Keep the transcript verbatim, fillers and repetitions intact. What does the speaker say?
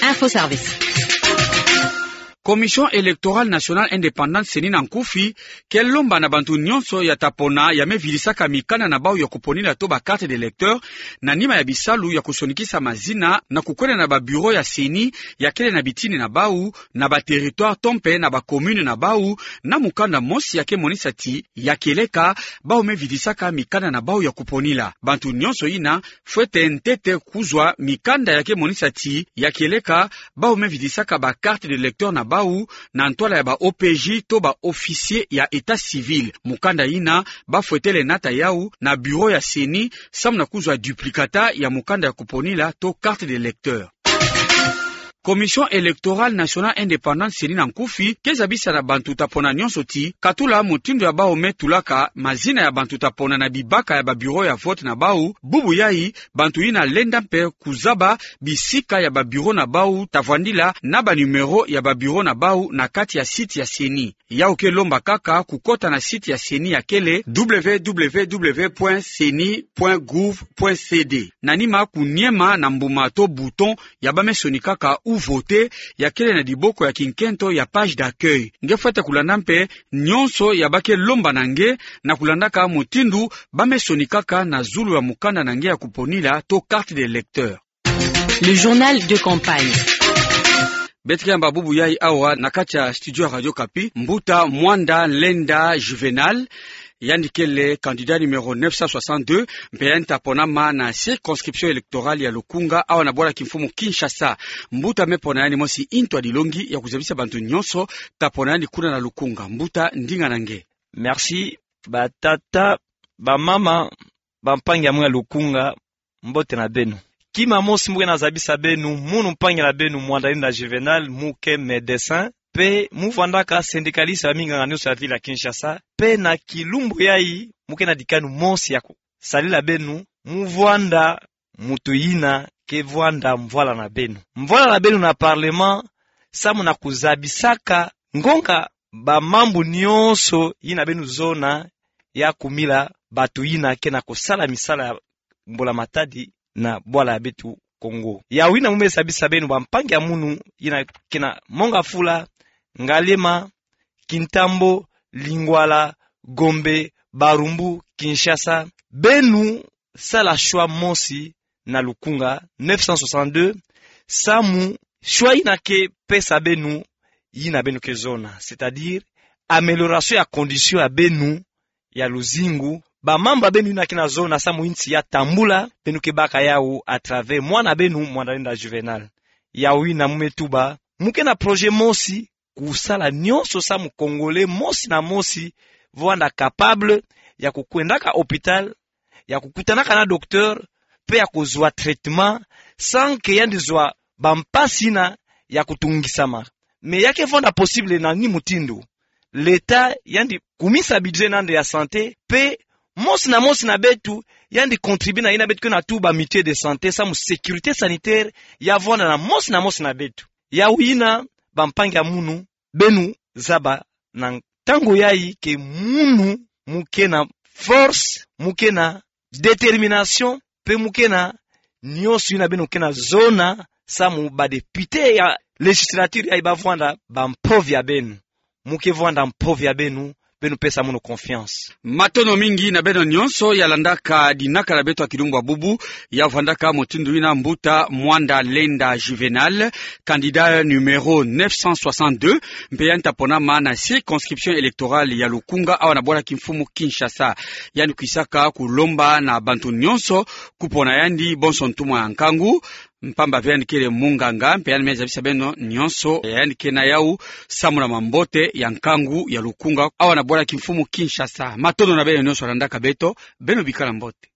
Info Service. Commission Électorale Nationale Indépendante, CENI na nkufi, ke lomba na bantu nyonso ya ta pona ya me vidisaka mikanda na bau ya kuponila to ba carte d'électeur, na nima ya bisalu ya kusonikisa mazina na kukwenda na ba bureau ya CENI ya kele na bitini na bau, na ba territoire to mpe na ba commune na bau, na mukanda mosi ya ke monisa ti ya kieleka bau me vidisaka mikanda na bau ya kuponila. Bantu nyonso yina fwete ntete kuzwa mikanda ya ke monisa ti ya kieleka bau me vidisaka ba carte d'électeur na bau na ntwala ya ba OPJ to ba officier ya état civil. Mukanda yina ba fwete le nata yau na bureau ya CENI samu na kuzwa duplicata ya mukanda ya kuponila to carte d'électeur. Commission Électorale Nationale Indépendante, CENI na nkufi, ke zabisa na bantu ta pona nyonso ti, katula mutindu ya bau me tulaka mazina ya bantu ta pona na bibaka ya ba bureau ya vote na bau, bubu yai, bantu yina lenda mpe kuzaba bisika ya ba bureau na bau ta vwandila na ba numéro ya ba bureau na bau na kati ya site ya CENI. Yau ke lomba kaka kukota na site ya CENI ya kele www.ceni.gouv.cd. Na nima kuniema na mbuma to bouton ya ba me sonikaka ou voter ya kele na diboko ya kinkento ya page d'accueil. Nge fwete kulanda mpe nyonso ya ba ke lomba na nge na kulandaka mutindu ba me sonikaka na zulu ya mukanda na nge ya kuponila to carte d'électeur. Le journal de campagne. Beto ke yamba bubu yai awa na kati ya studio ya Radio Okapi, mbuta Mwanda Lenda Juvénal, yandi kele candidat numéro neuf cent soixante-deux, mpe yandi ta ponama na circonscription électorale ya Lukunga, awa na bwala kimfumu Kinshasa. Mbuta me pona yandi mosi ntu ya dilongi ya kuzabisa bantu nyonso ta pona yandi kuna na Lukunga. Mbuta, ndinga na nge. Merci, batata, bamama, bampangi ya munu ya Lukunga, mbote na beno. Kima mosi mu ke na zabisa beno, munu mpangi na beno Mwanda Lenda Juvénal, mu ke médecin, mpe mu vwandaka syndicaliste ya minganga nyonso ya ville ya Kinshasa, mpe na kilumbu yai mu ke na dikanu mosi ya kusadila beno, mu vwanda muntu yina ke vwanda mvwala na beno. Mvwala na beno na parlement, samu na kuzabisaka ngonga bamambu nyonso yina beno zona ya kumila bantu yina ke na kusala misala ya mbula matadi na bwala ya beto Kongo. Yau yina mu me zabisa beno bampangi ya munu yina ke na Mont-Ngafula, Ngaliema, Kintambo, Lingwala, Gombe, Barumbu, Kinshasa. Beno sala choix mosi na Lukunga neuf cent soixante-deux, samu choix yina ke pesa beno yina beno ke zona, c'est-à-dire amélioration ya condition ya beno ya luzingu, bamambu ya beno yina ke na zona samu insi ya tambula, beno ke baka yau à travers mwana beno Mwanda Lenda Juvénal. Yau yina mu me tuba, mu ke na projet mosi, kusala nyonso samu Congolais mosi na mosi vwanda capable ya kukwendaka hôpital, ya kukutanaka na docteur, mpe ya kuzwa traitement, sans que yandi zwa bampasi yina ya kutungisama. Mais ya ke vwanda possible na ni mutindu? L'État yandi kumisa budget na yandi ya santé, mpe mosi na mosi na beto yandi contribuer na yina beto ke na tuba mutuelle de santé, samu sécurité sanitaire ya vwanda na mosi na mosi na beto. Yau yina, bampangi ya munu, beno zaba na ntangu yai que munu mu ke na force, mu ke na détermination, mpe mu ke na nyonso yina beno ke na zona samu badéputé ya législature yai ba vwanda bampove ya beno. Mu ke vwanda mpove ya beno, beno pesa munu confiance. Matondo mingi na beno nyonso ya landaka dinaka na beto ya kilumbu ya bubu, ya vwandaka mutindu yina mbuta Mwanda Lenda Juvénal, candidat numéro neuf cent soixante-deux, mpe yandi ta ponama na circonscription électorale ya Lukunga, awa na bwala kimfumu Kinshasa. Yandi kwisaka kulomba na bantu nyonso kupona yandi bonso ntumwa ya nkangu, mpamba ve yandi kele munganga, mpe yandi me zabisa beno nyonso ya yandi ke na yau samu na mambote ya nkangu ya Lukunga, awa na bwala kimfumu Kinshasa. Matondo na beno nyonso ya landaka beto, beno bikala mbote.